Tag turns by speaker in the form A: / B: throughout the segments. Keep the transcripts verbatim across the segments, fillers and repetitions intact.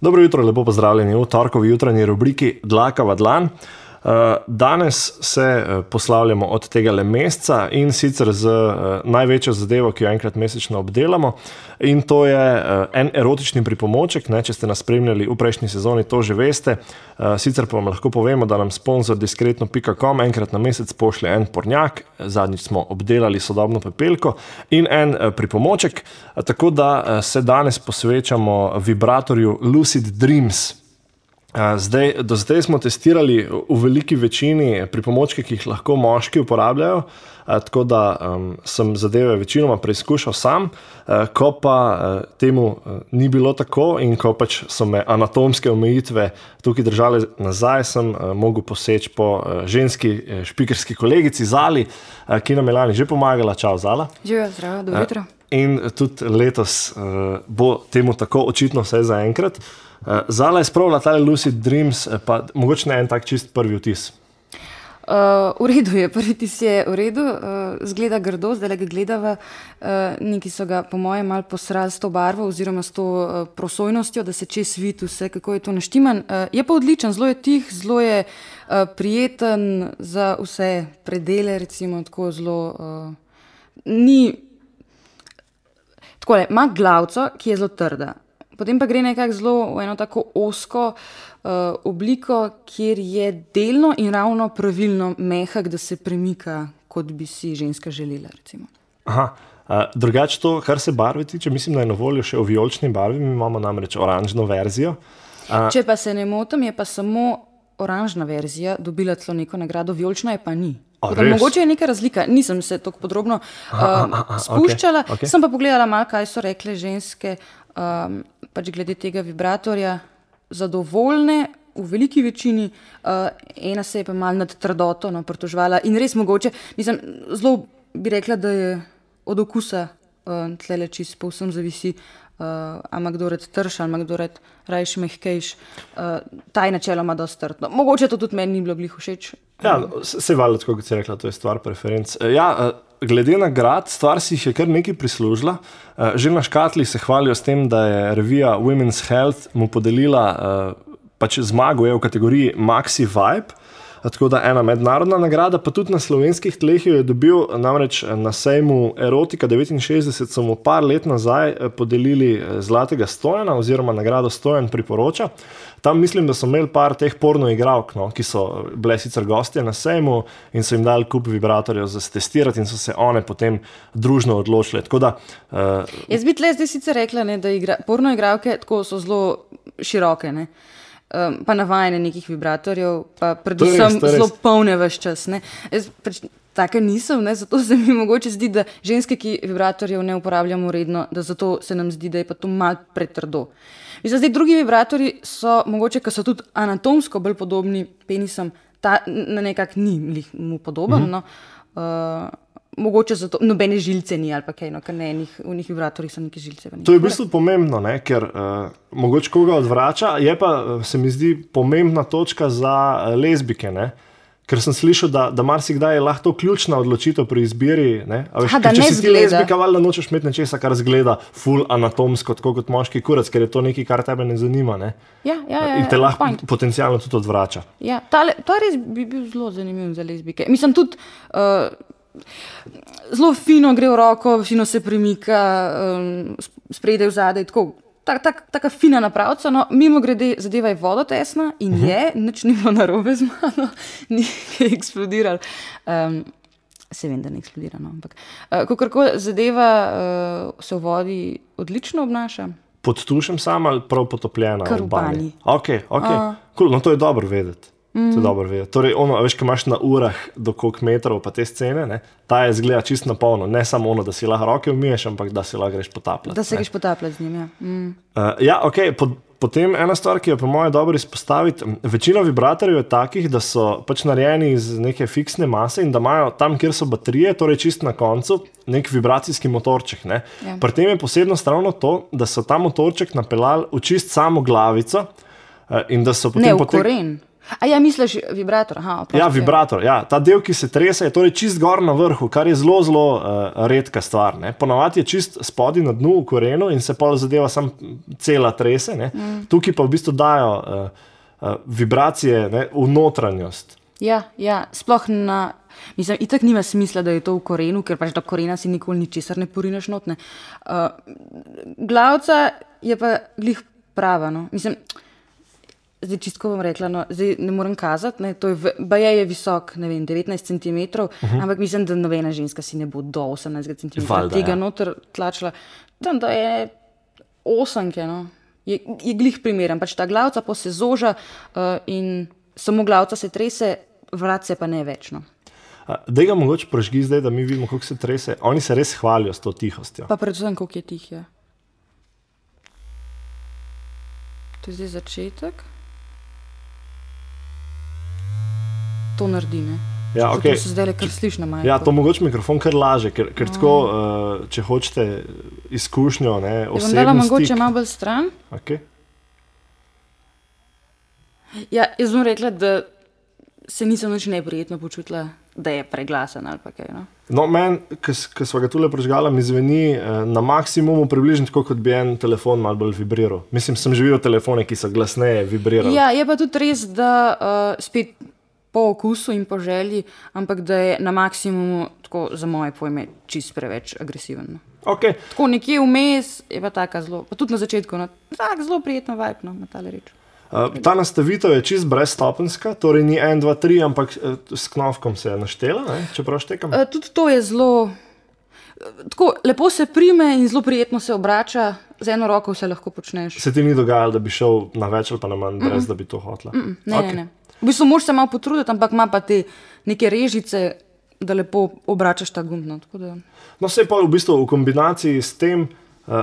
A: Dobro jutro, lepo pozdravljeni v torkovi jutranji rubriki Dlaka v dlan. Danes se poslavljamo od tega le meseca in sicer z največjo zadevo, ki jo enkrat mesečno obdelamo. In to je en erotični pripomoček, ne, če ste nas spremljali v prejšnji sezoni, to že veste. Sicer pa vam lahko povemo, da nam sponsor diskretno pika com enkrat na mesec pošlje en pornjak, zadnjič smo obdelali sodobno pepelko in en pripomoček, tako da se danes posvečamo vibratorju Lucid Dreams. Zdaj, do zdaj smo testirali v veliki večini pripomočke, ki jih lahko moški uporabljajo, tako da um, sem zadeve večinoma preizkušal sam, ko pa temu ni bilo tako in ko pač so me anatomske omejitve tukaj držale nazaj, sem mogel poseči po ženski špikerski kolegici Zali, ki nam je lani že pomagala. Čau, Zala.
B: Živijo, zdravo, dobro jutro.
A: In tudi letos bo temu tako očitno vse zaenkrat. Zala je spravila tale Lucid Dreams, pa mogoče ne en tak čist prvi vtis.
B: Uh, v redu je, prvi vtis je v redu, uh, zgleda grdo, zdaj ga gledava, uh, neki so ga po mojem malo posrali s to barvo oziroma s to uh, prosojnostjo, da se čez vidi vse, kako je to naštiman. Uh, je pa odličen, zelo je tih, zelo je uh, prijeten za vse predele, recimo tako zelo, uh, ni, takole, ima glavco, ki je zelo trda. Potem pa gre nekako zelo v eno tako osko uh, obliko, kjer je delno in ravno pravilno mehak, da se premika, kot bi si ženska želela, recimo.
A: Aha, uh, drugače to, kar se barve tiče, mislim, da je na voljo še v vijolični barvi, mi imamo namreč oranžno verzijo. Uh,
B: Če pa se ne motim, je pa samo oranžna verzija dobila celo neko nagrado, vijolična je pa ni.
A: A,
B: mogoče je neka razlika, nisem se tako podrobno uh,
A: aha, aha,
B: spuščala,
A: okay, okay.
B: Sem pa pogledala malo, kaj so rekle ženske, um, pač glede tega vibratorja, zadovoljne v veliki večini, uh, ena se je pa malo nad trdoto no, pritoževala in res mogoče, mislim, zelo bi rekla, da je od okusa uh, tlele čisto povsem zavisi, uh, ama kdo red trš, ama kdo red rajš mehkejš, uh, taj načeloma dosti trdo. Mogoče to tudi meni ni bilo glih všeč.
A: Ja, se valjda, tako kot si rekla, to je stvar preferenc. Ja, glede nagrad, stvar si jih je kar nekaj prislužila. Že na škatli se hvalijo s tem, da je revija Women's Health mu podelila pač zmago je v kategoriji Maxi Vibe, tako da ena mednarodna nagrada, pa tudi na slovenskih tleh jo je dobil, namreč na sejmu Erotika devetinšestdeset so mu par let nazaj podelili zlatega stojana oziroma nagrado Stojan priporoča. Tam mislim, da so imeli par teh porno igralk, no, ki so bile sicer gostje na sejmu in so jim dali kup vibratorjev za testirati in so se one potem družno odločile. Tako da, uh,
B: Jaz bi tle zdaj sicer rekla, ne, da igra, porno igralke tako so zelo široke, ne. Um, pa navajene nekih vibratorjev, pa predvsem zelo polne ves čas. Ne. Jaz preč, taka nisem, ne, zato se mi mogoče zdi, da ženske, ki vibratorjev ne uporabljamo redno, da zato se nam zdi, da je pa to malo pretrdo. Mislim, zdaj drugi vibratorji so mogoče, ker so tudi anatomsko bolj podobni penisom, ta na nekak ni mu podoben, uh-huh. no. Uh, mogoče zato nobene žilce ni ali pa kaj, no, ker ne, enih, v njih vibratorjih so neke žilce.
A: To je v bistvu pomembno, ne, ker uh, mogoče koga odvrača, je pa, se mi zdi, pomembna točka za uh, lezbike, ne. Ker sem slišal, da, da marsikdaj je lahko to ključna odločitev pri izbiri, ne? A veš,
B: Aha,
A: ker,
B: da
A: če
B: ne
A: si ti
B: zgleda.
A: lezbika, valjda nočeš imeti nečesa, kar zgleda ful anatomsko, tako kot moški kurac, ker je to nekaj, kar tebe ne zanima, ne?
B: Ja, ja, ja,
A: in te lahko
B: point.
A: potencialno tudi odvrača.
B: Ja, tale, to res bi bil zelo zanimiv za lezbike. Mislim, tudi uh, zelo fino gre v roko, fino se premika, um, spredaj vzadej, tako. Tak, tak, taka fina napravca, no, mimo grede zadeva je vodotesna in uh-huh. je, nič ni bilo narobe z mano, ni eksplodiral. Um, se vem, da ne eksplodira, no, ampak uh, kakorkoli zadeva uh, se v vodi odlično obnaša.
A: Pod tušem sam ali prav potopljena?
B: Kar v banji.
A: Ok, ok, uh. cool, no to je dobro vedeti. Mm. To je dobro vedeti. Torej, ono, veš, ko imaš na urah do koliko metrov pa te scene, ne, ta je zgleda čisto na polno. Ne samo ono, da si lahko roke umiješ, ampak da si lahko greš potapljati.
B: Da se greš potapljati z njim, ja. Mm.
A: Uh, ja, ok, pod, potem ena stvar, ki je po moje dobro izpostaviti, večina vibratorjev je takih, da so pač narejeni iz neke fiksne mase in da imajo tam, kjer so baterije, torej čisto na koncu, nek vibracijski motorček, ne. Ja. Pri tem je posebnost ravno to, da so ta motorček napeljali v čist samo glavico uh, in da so potem...
B: Ne, v
A: potek...
B: koren. A ja, misliš vibrator? Aha, oprosti,
A: ja, vibrator. Ja. Ta del, ki se trese, je torej čist gor na vrhu, kar je zelo, zelo uh, redka stvar. Ne. Ponavadi je čist spodaj na dnu v korenu in se pol zadeva sam cela trese. Ne. Mm. Tukaj pa v bistvu dajo uh, uh, vibracije, ne, v notranjost.
B: Ja, ja, sploh na... Mislim, itak nima smisla, da je to v korenu, ker pač do korena si nikoli ničesar ne porineš not. Ne. Uh, glavca je pa glih prava, no. Mislim... Zdaj, čistko bom rekla, no, zdaj ne morem kazati, ne, to je, baje je visok, ne vem, devetnajst centimetrov, uh -huh. ampak mislim, da nobena ženska si ne bo do osemnajst centimetrov tega ja. noter tlačila. Tam, da je osemke, no, je, je glih primeren, pač ta glavca pa se zoža uh, in samo glavca se trese, vrat se pa ne več, no.
A: Daj ga mogoče prožgi zdaj, da mi vidimo, kako se trese. Oni se res hvalijo s to tihostjo.
B: Pa predvsem, koliko je tih, ja. To je zdaj začetek. To naredi, ne?
A: Ja, okay.
B: To se zdaj le kar sliš na majku.
A: Ja, to mogoče mikrofon kar laže, ker, ker oh. tako, uh, če hočete izkušnjo, ne, osebni stik. Je vam dala
B: mogoče malo bolj stran?
A: Ok.
B: Ja, jaz bom rekla, da se nisem nič neprijetno počutila, da je preglasen ali pa kaj, no?
A: No, meni, ko sva ga tule prežgala, mi zveni eh, na maksimumu približno tako, kot bi en telefon malo bolj vibriral. Mislim, sem že videl telefone, ki so glasneje vibrirali.
B: Ja, je pa tudi res, da uh, spet po okusu in po želji, ampak da je na maksimumu, tako za moje pojme, čist preveč agresiven.
A: Okay.
B: Tako nekje vmes je pa taka zelo, pa tudi na začetku, no, tak zelo prijetno vibe, no, na tale reč.
A: Uh, ta nastavitev je čist brezstopenska, torej ni en, dva, tri, ampak uh, s knofkom se je naštela, ne? Čeprav štekam.
B: Uh, tudi to je zelo, tako lepo se prime in zelo prijetno se obrača, z eno roko vse lahko počneš.
A: Se ti ni dogajalo, da bi šel na več ali pa na manj, brez mm -mm. da bi to hotla?
B: Mm -mm. Ne, okay. ne, ne. V bistvu moraš se malo potruditi, ampak ima pa te neke režice, da lepo obračaš ta gumb. No, da...
A: no se je pa v bistvu v kombinaciji s tem, uh,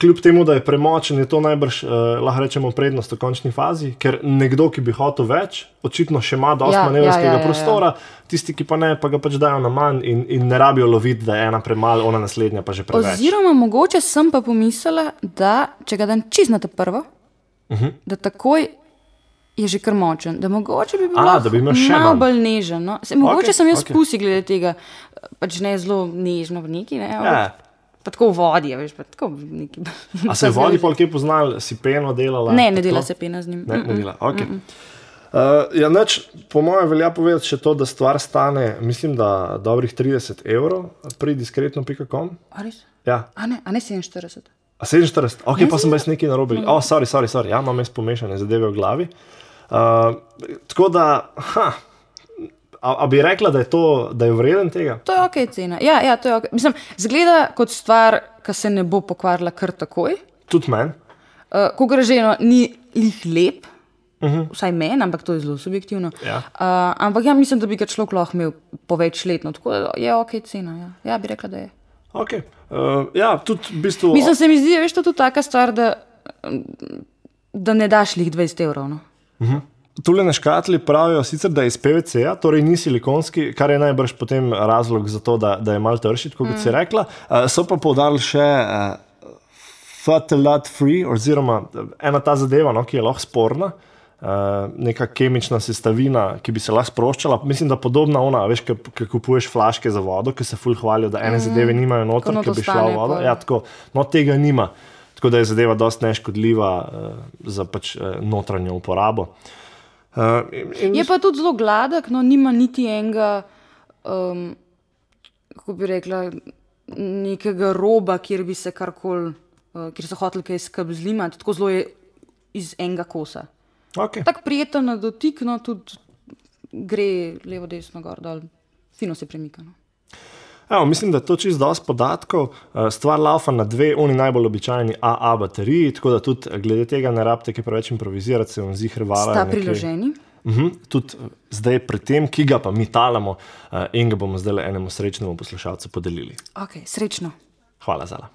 A: kljub temu, da je premočen, je to najbrž, uh, lahko rečemo, prednost v končni fazi, ker nekdo, ki bi hotel več, očitno še ima dosti ja, manevrskega ja, ja, ja, prostora, ja. Tisti, ki pa ne, pa ga pač dajo na manj in, in ne rabijo loviti, da je ena premalo, ona naslednja pa že preveč.
B: Oziroma, mogoče sem pa pomislila, da če ga dan čist na te prvo, uh -huh. da takoj je že kar močen, da mogoče bi bilo malo bolj nežen. No? Se, mogoče okay, sem jaz okay. pusi glede tega, pač ne zelo nežno v neki, ne? Ja. Pa tako v vodi, veš, pa tako v neki...
A: A se v vodi pol kje poznali, si peno delala?
B: Ne, ne dela se pena z njim.
A: Ne, ne dela, ok. Mm -mm. Uh, ja, neč, po mojem velja povedati še to, da stvar stane, mislim, da dobrih trideset evrov pri diskretno pika com.
B: A res?
A: Ja.
B: A ne, a ne sedeminštirideset?
A: A sedeminštirideset? Ok, ne pa sem jaz nekaj narobil. O, oh, sorry, sorry, sorry. Ja, imam jaz pomešane zadeve v glavi. Uh, tako da, ha, a, a bi rekla, da je to, da je vreden tega?
B: To je ok cena. Ja, ja, to je ok. Mislim, zgleda kot stvar, ki se ne bo pokvarila kar takoj.
A: Tudi meni.
B: Uh, ko gre že, no, ni lih lep, uh -huh. vsaj meni, ampak to je zelo subjektivno.
A: Ja.
B: Uh, ampak ja, mislim, da bi ga človek lahko imel po več letno, tako da je ok cena. Ja, ja bi rekla, da je.
A: Ok. Uh, ja, tudi v bistvu...
B: Mislim, se mi zdi, veš, to je tudi taka stvar, da, da ne daš lih dvajset evrov, no.
A: Uh -huh. Tule na škatli pravijo sicer, da je iz P V C-ja, torej ni silikonski, kar je najbrž potem razlog za to, da, da je malo trši, kot mm. si rekla. Uh, so pa poudarili še uh, phthalate free, oziroma ena ta zadeva, no, ki je lahko sporna, uh, neka kemična sestavina, ki bi se lahko sproščala. Mislim, da podobna ona, veš, ki kupuješ flaške za vodo, ki se ful hvalijo, da ene mm. zadeve nimajo noter, ki bi šla v vodo. Ja, tako, no, tega nima. Tako da je zadeva dosti neškodljiva uh, za pač uh, notranjo uporabo. Uh, in...
B: Je pa tudi zelo gladek, no, nima niti enega, um, kako bi rekla, nekega roba, kjer bi se karkoli, uh, kjer so hoteli kaj skrb zlimati, tako zelo je iz enega kosa.
A: Okay.
B: Tako prijeten na dotik, no, tudi gre levo, desno, gor, dol, fino se premika, no.
A: Evo, mislim, da je to čisto dosti podatkov. Stvar laufa na dve, oni najbolj običajni A A bateriji, tako da tudi glede tega ne rabite kaj preveč improvizirati, se vam zihr vala.
B: Sta priloženi.
A: Uh-huh. Tudi zdaj pri tem, ki ga pa mi talamo in ga bomo zdaj enemu srečnemu poslušalcu podelili.
B: Ok, srečno.
A: Hvala, Zala.